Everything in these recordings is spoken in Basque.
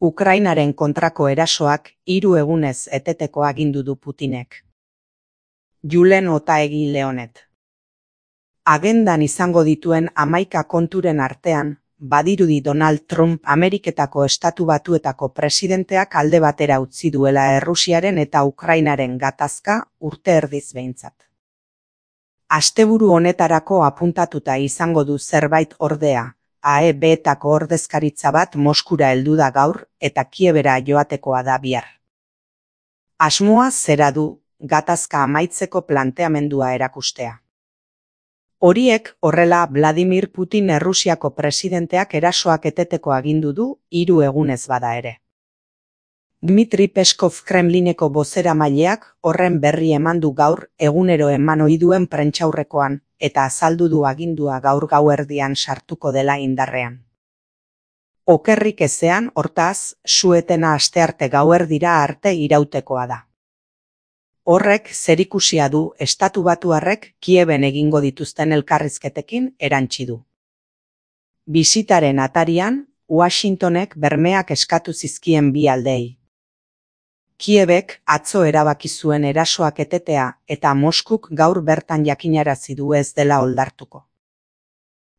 Ukrainaren kontrako erasoak 3 egunez eteteko agindu du Putinek. Julen Otaegi Leonet. Agendan izango dituen 11 konturen artean, badirudi Donald Trump Ameriketako Estatu Batuetako presidenteak alde batera utzi duela Errusiaren eta Ukrainaren gatazka urte erdiz behintzat. Asteburu honetarako apuntatuta izango du zerbait ordea, AEB-etako ordezkaritza bat Moskura heldu da gaur eta Kiebera joatekoa da bihar. Asmoa zera du, gatazka amaitzeko planteamendua erakustea. Horiek horrela Vladimir Putin Errusiako presidenteak erasoak eteteko agindu du 3 egunez bada ere. Dmitri Peskov Kremlineko bozeramaileak horren berri eman du gaur egunero eman ohi duen prentsaurrekoan eta azaldu du agindua gaur gauerdian sartuko dela indarrean. Okerrik ezean, hortaz, su-etena astearte gauerdira arte irautekoa da. Horrek zerikusia du Estatu Batuarrek Kieben egingo dituzten elkarrizketekin erantsi du. Bisitaren atarian, Washingtonek bermeak eskatu zizkien bi aldeei. Kiebek atzo erabaki zuen erasoak etetea eta Moskuk gaur bertan jakinarazi du ez dela oldartuko.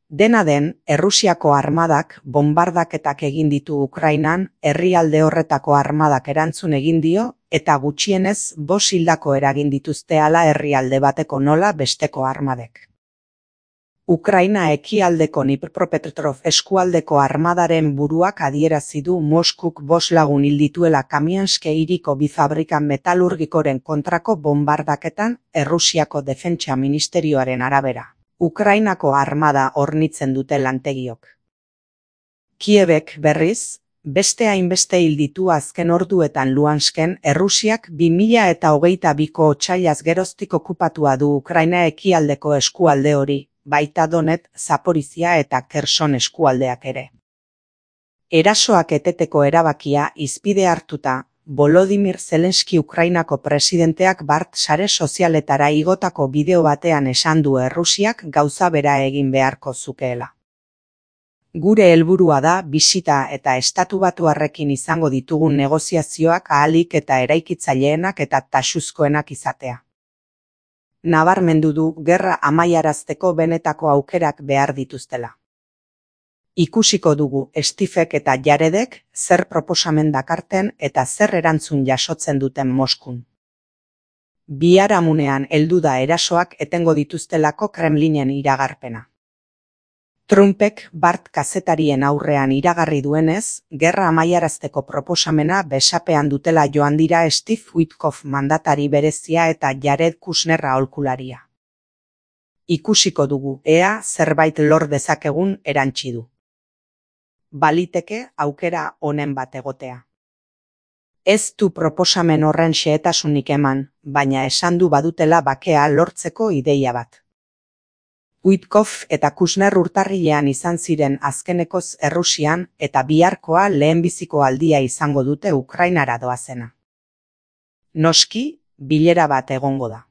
Dena den, Errusiako armadak bonbardaketak egin ditu Ukrainan, herrialde horretako armadak erantzun egin dio eta gutxienez 5 hildako eragin dituzte hala herrialde bateko nola besteko armadek. Ukraina ekialdeko Dnipropetrovsk eskualdeko armadaren buruak adierazi du Moskuk 5 lagun hil dituela Kamianske hiriko bi fabrika metalurgikoren kontrako bonbardaketan Errusiako Defentsa Ministerioaren arabera. Ukrainako armada hornitzen dute lantegiok. Kiebek berriz, beste hainbeste hil ditu azken orduetan Luhansken Errusiak 2022ko otsailaz geroztik okupatua du Ukraina ekialdeko eskualde hori, baita Donetsk, Zaporizhia eta Kherson eskualdeak ere. Erasoak eteteko erabakia hizpide hartuta, Volodymyr Zelensky Ukrainako presidenteak bart sare sozialetara igotako bideo batean esan du Errusiak gauza bera egin beharko zukeela. Gure helburua da bisita eta Estatu Batuarrekin izango ditugun negoziazioak ahalik eta eraikitzaileenak eta taxuzkoenak izatea. Nabarmendu du gerra amaiarazteko benetako aukerak behar dituztela. Ikusiko dugu Stevek eta Jaredek zer proposamen dakarten eta zer erantzun jasotzen duten Moskun. Biharamunean heldu da erasoak etengo dituztelako Kremlinen iragarpena. Trumpek bart kazetarien aurrean iragarri duenez, gerra amaiarazteko proposamena besapean dutela joan dira Steve Witkoff mandatari berezia eta Jared Kushner aholkularia. Ikusiko dugu, ea zerbait lor dezakegun erantsi du. Baliteke aukera honen bat egotea. Ez du proposamen horren xehetasunik eman, baina esan du badutela bakea lortzeko ideia bat. Witkoff eta Kushner urtarrilean izan ziren azkenekoz Errusian eta biharkoa lehenbiziko aldia izango dute Ukrainara doazena. Noski, bilera bat egongo da.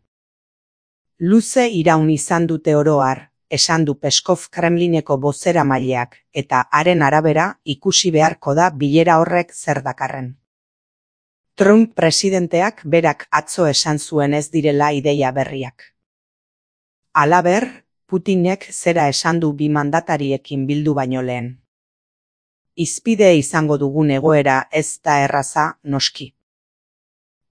Luze iraun izan dute oro har, esan du Peskov Kremlineko bozeramaileak eta haren arabera ikusi beharko da bilera horrek zer dakarren. Trump presidenteak berak atzo esan zuen ez direla ideia berriak. Halaber, Putinek zera esan du bi mandatariekin bildu baino lehen. Hizpide izango dugun egoera ez da erraza, noski.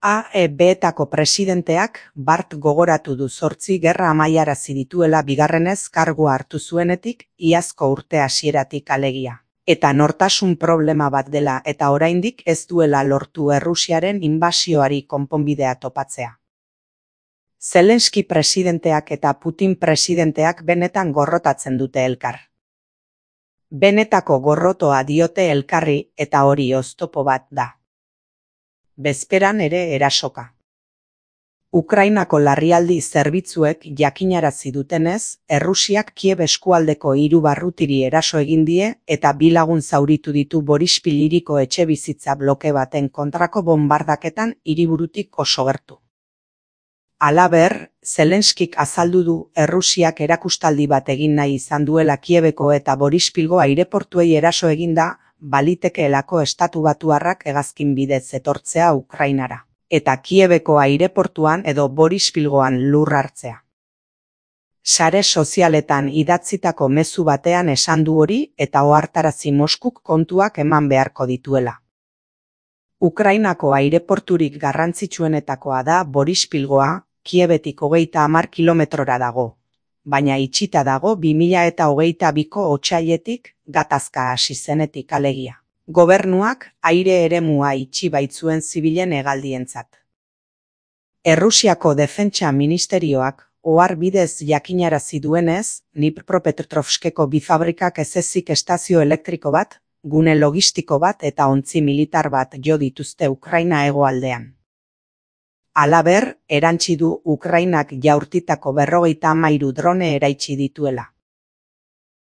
AEB-etako presidenteak bart gogoratu du 8 gerra amaiarazi dituela bigarrenez kargua hartu zuenetik iazko urte hasieratik alegia. Eta nortasun problema bat dela eta oraindik ez duela lortu Errusiaren inbasioari konponbidea topatzea. Zelensky presidenteak eta Putin presidenteak benetan gorrotatzen dute elkar. Benetako gorrotoa diote elkarri eta hori oztopo bat da. Bezperan ere erasoka. Ukrainako larrialdi zerbitzuek jakinarazi dutenez, Errusiak Kiev eskualdeko 3 barrutiri eraso egin die eta 2 lagun zauritu ditu Borispil hiriko etxebizitza bloke baten kontrako bonbardaketan hiriburutik oso gertu. Halaber, Zelenskik azaldu du Errusiak erakustaldi bat egin nahi izan duela Kiebeko eta Borispilgo aireportuei eraso eginda, balitekeelako estatubatuarrak hegazkin bidez etortzea Ukrainara, eta Kiebeko aireportuan edo Borispilgoan lur hartzea. Sare sozialetan idatzitako mezu batean esan du hori eta ohartarazi Moskuk kontuak eman beharko dituela. Ukrainako aireporturik garrantzitsuenetakoa da Borispilgoa, Kiebetik 30 kilometrora dago, baina itxita dago 2022ko otsailetik gatazka hasi zenetik alegia. Gobernuak aire eremua itxi baitzuen zibilen hegaldientzat. Errusiako Defentsa Ministerioak ohar bidez jakinarazi duenez, Dnipropetrovskeko bi fabrikak ez ezik estazio elektriko bat, gune logistiko bat eta ontzi militar bat jo dituzte Ukraina hegoaldean. Halaber, erantsi du Ukrainak jaurtitako 53 drone eraitsi dituela.